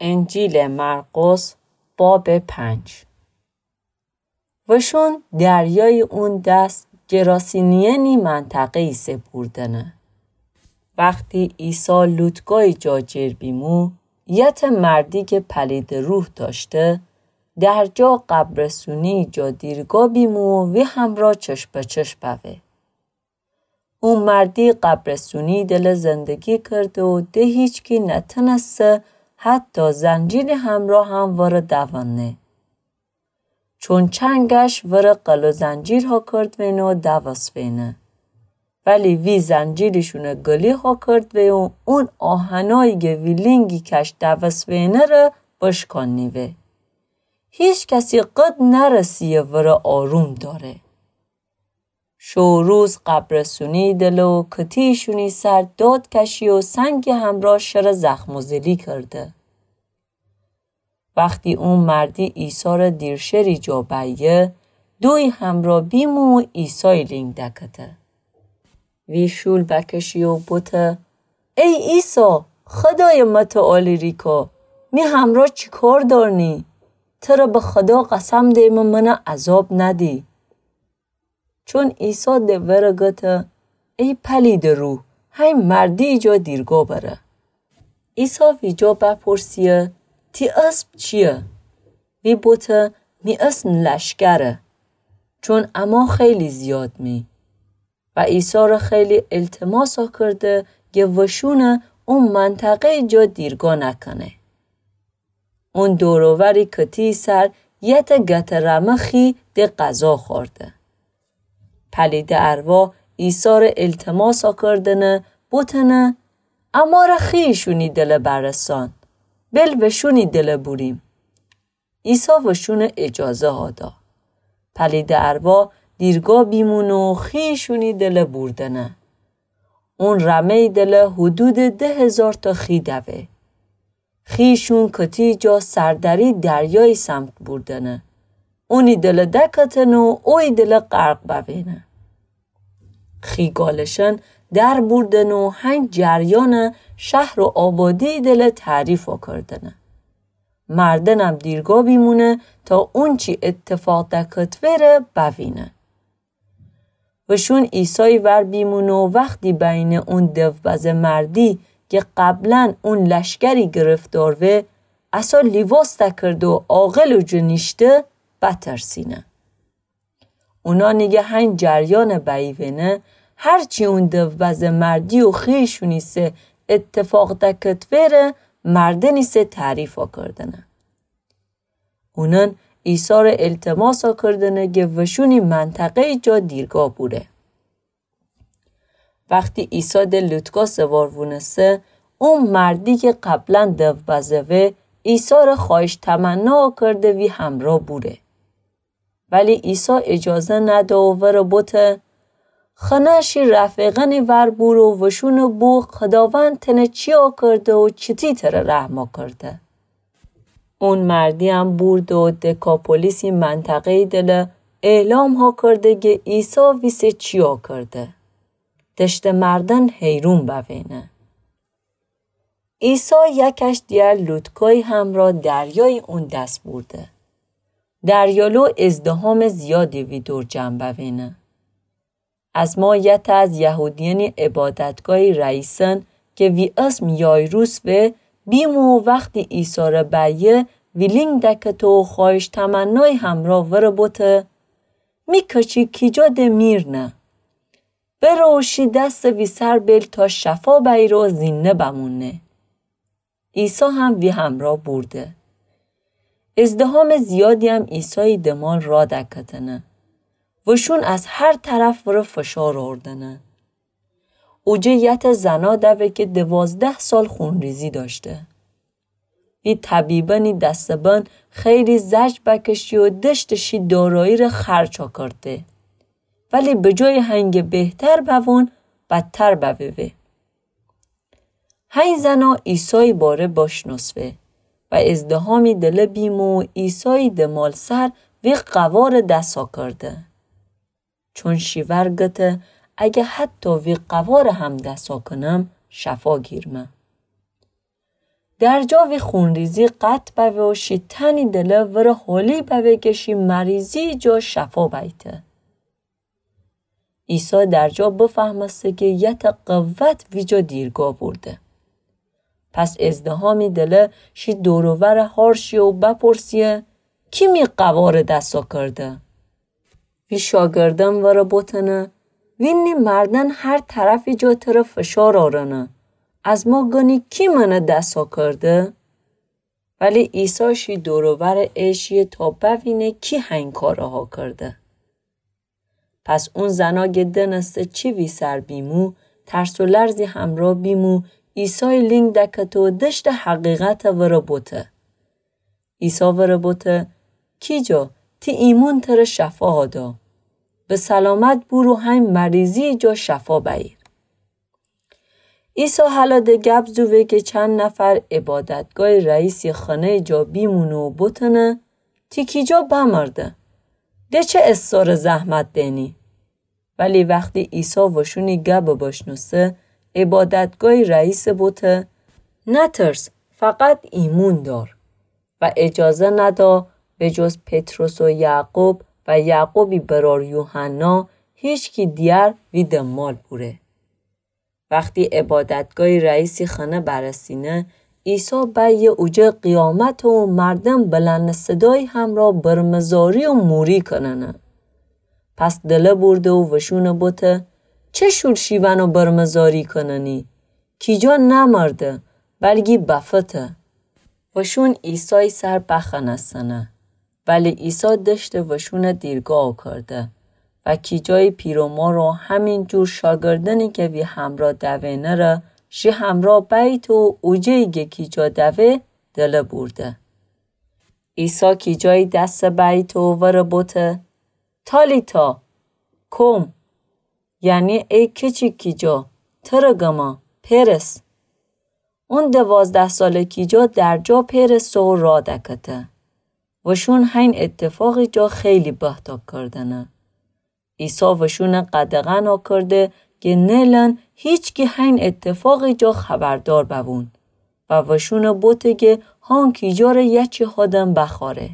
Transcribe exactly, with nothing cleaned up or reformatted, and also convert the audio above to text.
انجیلٚ مرقس، بابٚ پنج. وشون دریایٚ اون دس گراسینیئنی منطقه ایسه بوردنه. وختی عیسی لوطکای جا جر بیمو، یتٚ مردی کی پلیدٚ روح دأشته، درجا قبرسونی جا دیرگا بیمو و وی همرا چشم به چشم بوه. او مردی قبرسونی دله زندگی کرده و ده هیچکی نتنسته حتی زنجیرٚ همرا هم وره دونه. چون چنگش وره قل و زنجیر هاکردوینه و دوسوینه. ولی وی زنجیرٚ شونه گلی هاکردوه و اون آهنایی گه وی لینگی کش دوسوینه ره بشکانیوه. هیچ کسی قد نرسیه وره آروم داره. شو روز قبرسونی دله و کتیشونی سر داد کشی و سنگی همرا شره زخم و زلی کرده. وختی او مردی عیسی ره دیرشری جا بیه، دوی همرا بیمو و عیسای لینگ دکته. وی شول بکشی و بوته: ای عیسی، خدایٚ متعالی ریکا، می همرا چی کار دارنی؟ تره به خدا قسم دیمه منه عذاب ندی. چون عیسی ده وره گته: ای پلیدٚ روح، هی مردی جا دیرگا بره. عیسی ویجا بپرسیه: تی اسم چیه؟ وی بوته: می اسم لشکره، چون اما خیلی زیاد می. و عیسی ره خیلی التماس کرده گه وشونه او منطقه جا دیرگا نکنه. اون دور و وری کتی سر یته گته رمه خی ده غذا خورده. پلیدٚ ارواح عیسی ره التماس کردنه، بوتنه: اماره خیشونی دله برسان، بل وشونی دله بوریم. عیسی وشونه اجازه هادا. پلیدٚ ارواح دیرگا بیمونه و خیشونی دله بوردنه. اون رمه‌ی دله حدودٚ ده هزار تا خی دوه. خیشون کتی جا سردری دریایی سمت بوردنه. اونی دله دکتنه و اوی دله غرق بوینه. خی گالشن در بوردنه و هنگ جریانٚ شهر و آبادی دله تعریف کردنه. مردنم دیرگا بیمونه تا اونچی اتفاق دکتوه ره بوینه. وشون عیسای ور بیمونه و وختی بینه اون دو بزه مردی که قبلاً اون لشکری گرفتار وه، اسا لیواس دکرده و عاقل و جنیشته بترسینه. اونانی که هین جریان بیوینه، هرچی اون دو بزه مردی و خیشونی سه اتفاق دکتوه ره مردنی سه تعریف کردنه. اونان عیسی ره التماس کردنه که وشونی منطقه‌ی جا دیرگا بوره. وختی عیسی ده لوتکا سوار وونسه، اون مردی که قبلاً دو بزه وه، عیسی ره خواهش تمنا کرده وی همرا بوره. ولی عیسی اجازه نده و وره بوته: خنه شی رفیقانی ور بور و وشونه بو خداوند تنه چیا کرده و چتی تره رحما کرده. اون مردیم بورده و دکاپولیسی منطقه‌ی دله اعلام ها کرده که عیسی ویسه چیا کرده. دشته مردن حیرون بوینه. عیسی یکش دیگر لوتکای همرا دریای اون دس بورده. دریالو ازدهام زیادی وی دور جمع بوینه. از ما یته از یهودیانی عبادتگاهی رئیسن که وی اسم یایروس وه، بیمو و وختی عیسی ره بیه، وی لینگ دکته و خواهش تمنای همرا وره بوته: می کچی کیجا ده میرنه. بره و شی دست وی سر بیل تا شفا بیره و زینده بمونه. عیسی هم وی همرا بورده. ازدهام زیادیم عیسای دمال را دکتنه. وشون از هر طرف وره فشار آوردنه. اوجه یته زنا دوه که دوازده سال خونریزی داشته. وی طبیبانی دسته بند خیلی زج بکشی و دشت شی دارایی ره خرج کرده. ولی به جای هنگه بهتر بوون، بدتر بووه. هین زنا عیسای باره بشنوسوه و ازدهامی دله بیمو و عیسای دمال سر وی قوار دسا کرده. چون شی ور گته: اگه حتی وی قوار هم دسا کنم، شفا گیرمه. درجا وی خونریزی قطع بوه و شی تنی دله وره حالی بوه کی شی مریضی جا شفا بیته. عیسی درجا بفهمسته کی یه تا قوت ویجا دیرگا بورده. پس ازدحامی دله شی دور و ور هار شیه و بپرسیه: کی می قواره دسا کرده؟ وی شاگردان وره بوتنه: وینی مردن هر طرفی جا تره فشار آرنه. از ما گنی کی منه دسا کرده؟ ولی عیسی شی دور و ور اشیه تا بوینه کی هین کارها کرده. پس اون زنا گه دنسته چی وی سر بیمو، ترس و لرزی همرا بیمو، عیسای لینگ دکته و دشته حقیقت وره بوته. عیسی وره بوته: کیجا، تی ایمون تره شفا دا. به سلامت بورو هین مریضی جا شفا بأییر. عیسی هله ده گب زووه کی چند نفر عبادتگاه رئیسی خانه جا بیمونه و بوتنه: تی کیجا بمرده؟ ده چه اساره زحمت دینی؟ ولی وختی عیسی وشونی گب بشنوسه، عبادتگاه رئیس بوته: نترس، فقط ایمون دار. و اجازه ندا به جز پطرس و یعقوب و یعقوبی برار یوحنا هیچکی دیگر وی دنبال بوره. وختی عبادتگاه رئیسی خانه برسینه، عیسی بأیه اوجه قیامت و مردن بلند صدایی همرا برمزاری و موری کننه. پس دله بورده و وشونه بوته: چه شول شیون و برمزاری کننی؟ کیجا نمرده، بلگی بفته. وشون عیسای سر بخنستنه. ولی عیسی دشته وشونه دیرگا کرده و کیجای پیر و مار و همین جور شاگردنی کی وی همرا دوینه ره شی همرا بأییته و اوجه‌یی گه کیجا دوه دله بورده. عیسی کیجایی دسه بأییته و وره بوته: تالیتا کوم، یعنی ای کیچیک کیجا، تره گمه، پئرس. اون دوازده ساله کیجا درجا پئرسه و راه دکته. وشون هین اتفاقی جا خیلی بهتاب کردنه. عیسی وشونه قدغن کرده گه نیلن هیچکی هین اتفاقی جا خبردار بوون و وشونه بوته گه هان کیجا ره یه چی هادن بخواره.